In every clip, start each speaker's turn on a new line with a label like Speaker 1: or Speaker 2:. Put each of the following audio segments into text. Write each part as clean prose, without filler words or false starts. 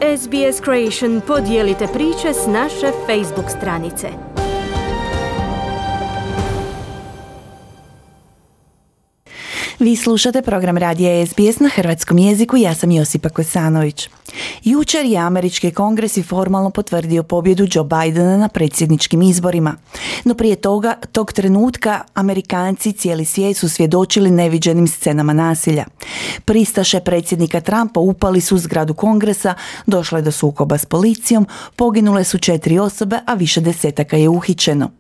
Speaker 1: SBS Creation podijelite priče s naše Facebook stranice.
Speaker 2: Vi slušate program radija SBS na hrvatskom jeziku, ja sam Josipa Kosanović. Jučer je američki kongres i formalno potvrdio pobjedu Joe Bidena na predsjedničkim izborima. No prije tog trenutka Amerikanci cijeli svijet su svjedočili neviđenim scenama nasilja. Pristaše predsjednika Trumpa upali su u zgradu kongresa, došlo je do sukoba s policijom, poginule su 4 osobe, a više desetaka je uhićeno.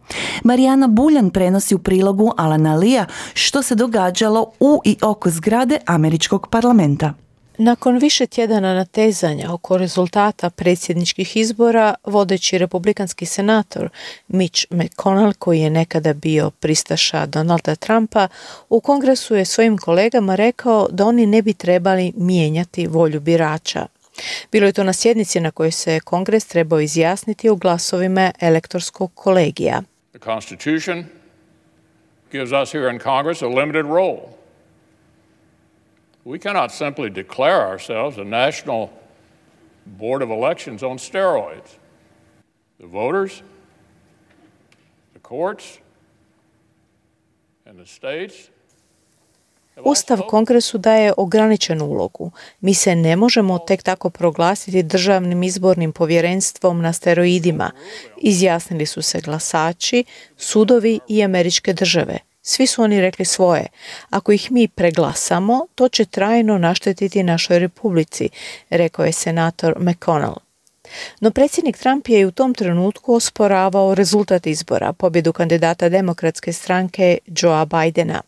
Speaker 2: Marijana Buljan prenosi u prilogu Alana Lija što se događalo u i oko zgrade američkog parlamenta.
Speaker 3: Nakon više tjedana natezanja oko rezultata predsjedničkih izbora, vodeći republikanski senator Mitch McConnell, koji je nekada bio pristaša Donalda Trumpa, u kongresu je svojim kolegama rekao da oni ne bi trebali mijenjati volju birača. Bilo je to na sjednici na kojoj se kongres trebao izjasniti u glasovima elektorskog kolegija.
Speaker 4: The Constitution gives us here in Congress a limited role. We cannot simply declare ourselves a national board of elections on steroids. The voters, the courts, and the states.
Speaker 3: Ustav kongresu daje ograničenu ulogu. Mi se ne možemo tek tako proglasiti državnim izbornim povjerenstvom na steroidima. Izjasnili su se glasači, sudovi i američke države. Svi su oni rekli svoje. Ako ih mi preglasamo, to će trajno naštetiti našoj republici, rekao je senator McConnell. No predsjednik Trump je u tom trenutku osporavao rezultat izbora, pobjedu kandidata demokratske stranke Joea Bidena.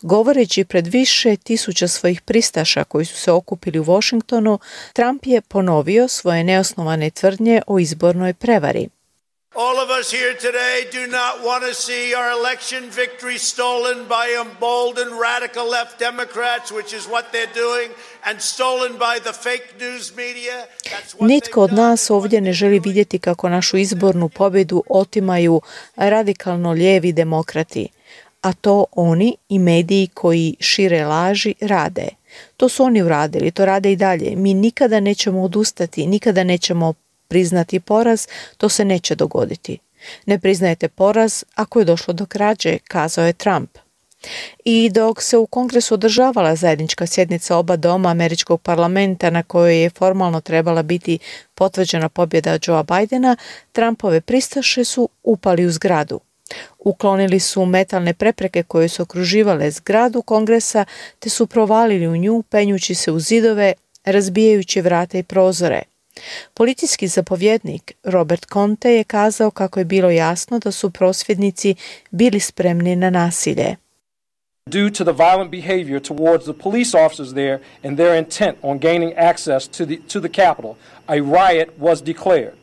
Speaker 3: Govoreći pred više tisuća svojih pristaša koji su se okupili u Washingtonu, Trump je ponovio svoje neosnovane tvrdnje o izbornoj prevari.
Speaker 5: All of us here today do not want to see our election victory stolen by emboldened radical left Democrats, which is what they're doing, and stolen by the fake news media.
Speaker 3: Nitko od nas ovdje ne želi vidjeti kako našu izbornu pobjedu otimaju radikalno lijevi demokrati, a to oni i mediji koji šire laži rade. To su oni uradili, to rade i dalje. Mi nikada nećemo odustati, nikada nećemo priznati poraz, to se neće dogoditi. Ne priznajete poraz ako je došlo do krađe, kazao je Trump. I dok se u kongresu održavala zajednička sjednica oba doma američkog parlamenta na kojoj je formalno trebala biti potvrđena pobjeda Joea Bidena, Trumpove pristaše su upali u zgradu. Uklonili su metalne prepreke koje su okruživale zgradu kongresa te su provalili u nju penjući se u zidove, razbijajući vrata i prozore. Policijski zapovjednik Robert Conte je kazao kako je bilo jasno da su prosvjednici bili spremni na nasilje.
Speaker 6: Due to the violent behavior towards the police officers there and their intent on gaining access to the Capitol, a riot was declared.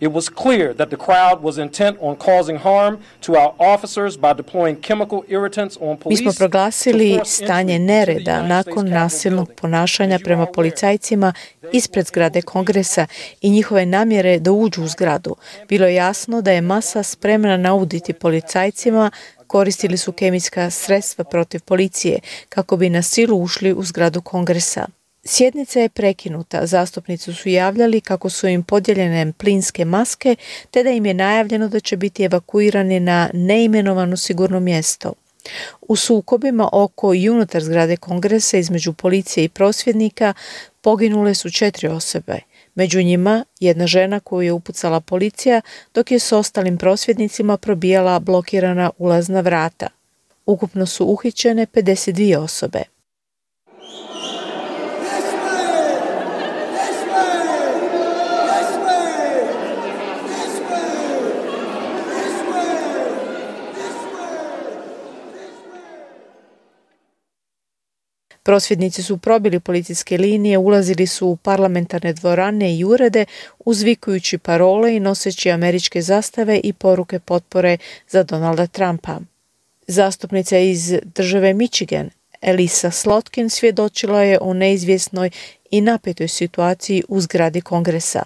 Speaker 6: It was clear that the crowd was intent on causing harm to our officers by deploying chemical irritants on police.
Speaker 3: Mi smo proglasili stanje nereda nakon nasilnog ponašanja prema policajcima ispred zgrade kongresa i njihove namjere da uđu u zgradu. Bilo je jasno da je masa spremna nauditi policajcima, koristili su kemijska sredstva protiv policije kako bi na silu ušli u zgradu kongresa. Sjednica je prekinuta, zastupnici su javljali kako su im podijeljene plinske maske, te da im je najavljeno da će biti evakuirani na neimenovano sigurno mjesto. U sukobima oko i unutar zgrade kongresa između policije i prosvjednika poginule su 4 osobe. Među njima jedna žena koju je upucala policija, dok je s ostalim prosvjednicima probijala blokirana ulazna vrata. Ukupno su uhićene 52 osobe. Prosvjednici su probili policijske linije, ulazili su u parlamentarne dvorane i urede, uzvikujući parole i noseći američke zastave i poruke potpore za Donalda Trumpa. Zastupnica iz države Michigan, Elisa Slotkin, svjedočila je o neizvjesnoj i napetoj situaciji u zgradi kongresa.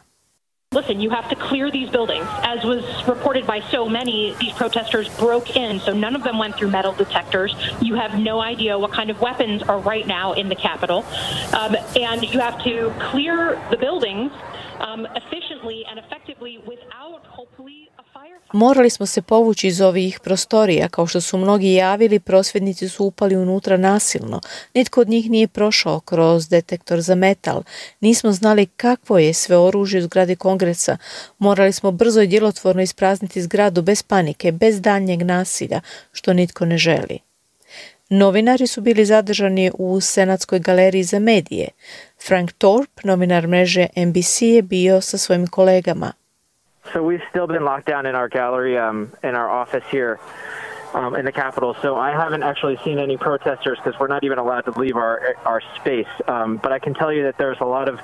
Speaker 7: Listen, you have to clear these buildings. As was reported by so many, these protesters broke in, so none of them went through metal detectors. You have no idea what kind of weapons are right now in the Capitol. And you have to clear the buildings efficiently and effectively without hopefully a firefight.
Speaker 3: Morali smo se povući iz ovih prostorija. Kao što su mnogi javili, prosvjednici su upali unutra nasilno. Nitko od njih nije prošao kroz detektor za metal. Nismo znali kakvo je sve oružje u zgradi Kongresa. Morali smo brzo i djelotvorno isprazniti zgradu bez panike, bez daljnjeg nasilja, što nitko ne želi. Novinari su bili zadržani u Senatskoj galeriji za medije. Frank Thorpe, novinar mreže NBC, je bio sa svojim kolegama.
Speaker 8: So we've still been locked down in our gallery, in our office here in the Capitol. So I haven't actually seen any protesters because we're not even allowed to leave our space. But I can tell you that there's a lot of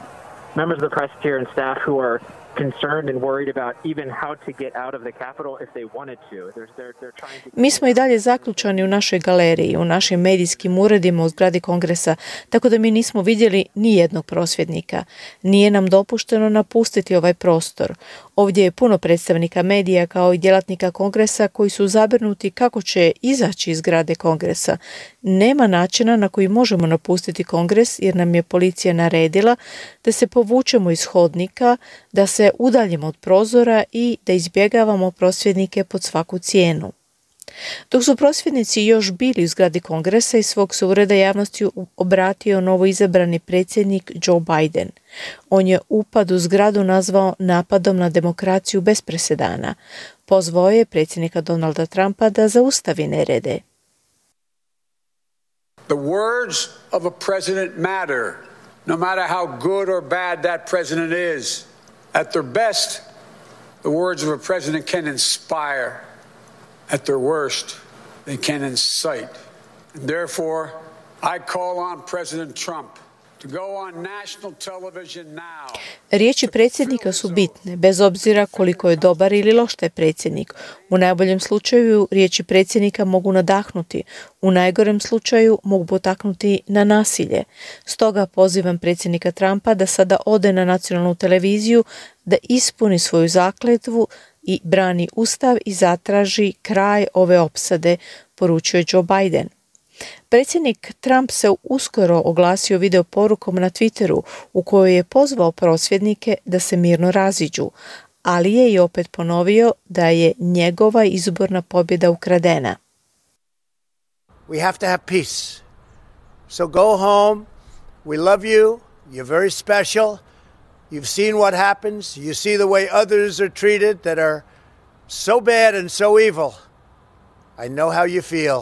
Speaker 8: members of the press here and staff who are concerned and worried about even how to get out of the Capitol if they wanted to. They're trying to...
Speaker 3: Mi smo i dalje zaključani u našoj galeriji, u našim medijskim uredima u zgradi Kongresa, tako da mi nismo vidjeli ni jednog prosvjednika. Nije nam dopušteno napustiti ovaj prostor. Ovdje je puno predstavnika medija kao i djelatnika Kongresa koji su zabrinuti kako će izaći iz zgrade Kongresa. Nema načina na koji možemo napustiti Kongres jer nam je policija naredila da se povučemo iz hodnika, da se udaljimo od prozora i da izbjegavamo prosvjednike pod svaku cijenu. Dok su prosvjednici još bili u zgradi Kongresa, iz svog se ureda javnosti obratio novoizabrani predsjednik Joe Biden. On je upad u zgradu nazvao napadom na demokraciju bez presedana. Pozvao je predsjednika Donalda Trumpa da zaustavi nerede.
Speaker 9: The words of a president matter, no matter how good or bad that president is. At their best, the words of a president can inspire. At their worst, they can incite. And therefore, I call on President Trump to go on national television now.
Speaker 3: Riječi predsjednika su bitne, bez obzira koliko je dobar ili loš taj predsjednik. U najboljem slučaju riječi predsjednika mogu nadahnuti, u najgorem slučaju mogu potaknuti na nasilje. Stoga pozivam predsjednika Trumpa da sada ode na nacionalnu televiziju, da ispuni svoju zakletvu i brani ustav i zatraži kraj ove opsade, poručuje Joe Biden. Predsjednik Trump se uskoro oglasio video porukom na Twitteru u kojoj je pozvao prosvjednike da se mirno raziđu, ali je i opet ponovio da je njegova izborna pobjeda ukradena.
Speaker 5: We have to have peace. So go home. We love you. You're very special. You've seen what happens. You see the way others are treated that are so bad and so evil. I know how you feel.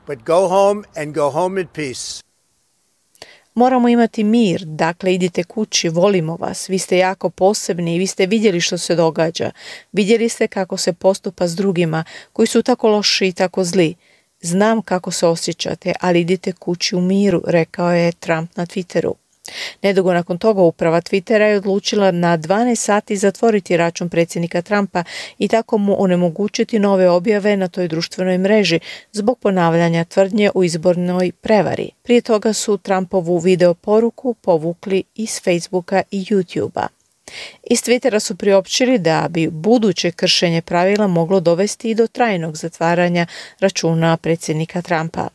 Speaker 5: But go home and go home in peace.
Speaker 3: Moramo imati mir, dakle idite kući, volimo vas, vi ste jako posebni i vi ste vidjeli što se događa. Vidjeli ste kako se postupa s drugima koji su tako loši i tako zli. Znam kako se osjećate, ali idite kući u miru, rekao je Trump na Twitteru. Nedugo nakon toga uprava Twittera je odlučila na 12 sati zatvoriti račun predsjednika Trumpa i tako mu onemogućiti nove objave na toj društvenoj mreži zbog ponavljanja tvrdnje u izbornoj prevari. Prije toga su Trumpovu video poruku povukli iz Facebooka i YouTubea. Iz Twittera su priopćili da bi buduće kršenje pravila moglo dovesti i do trajnog zatvaranja računa predsjednika Trumpa.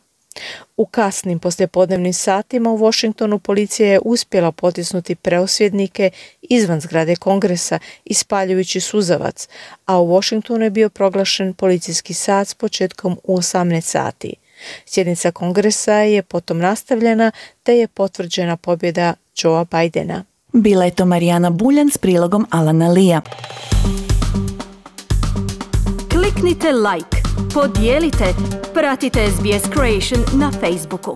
Speaker 3: U kasnim poslijepodnevnim satima u Washingtonu policija je uspjela potisnuti prosvjednike izvan zgrade Kongresa ispaljujući suzavac, a u Washingtonu je bio proglašen policijski sat s početkom u 18 sati. Sjednica Kongresa je potom nastavljena te je potvrđena pobjeda Joea Bidena.
Speaker 2: Bila je to Marijana Buljan s prilogom Alana Lija.
Speaker 1: Kliknite like, podijelite, pratite SBS Creation na Facebooku.